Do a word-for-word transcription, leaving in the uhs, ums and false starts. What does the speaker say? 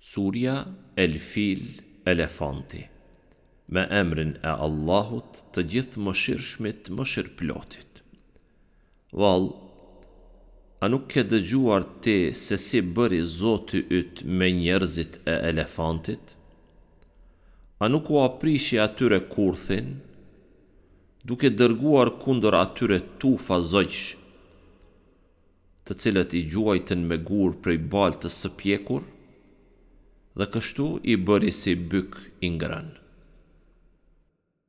Surja El Fil Elefanti Me emrin e Allahut të Gjithëmëshirshmit Mëshirëplotit Vallë, a nuk ke dëgjuar ti se si bëri Zoti yt me njerëzit e elefantit? A nuk ua prishi atyre kurthin, duke dërguar kundër atyre tufa zogjsh, të cilët i gjuajtën me gurë prej baltës së pjekur, dhe kështu i bëri si byk i ngrënë.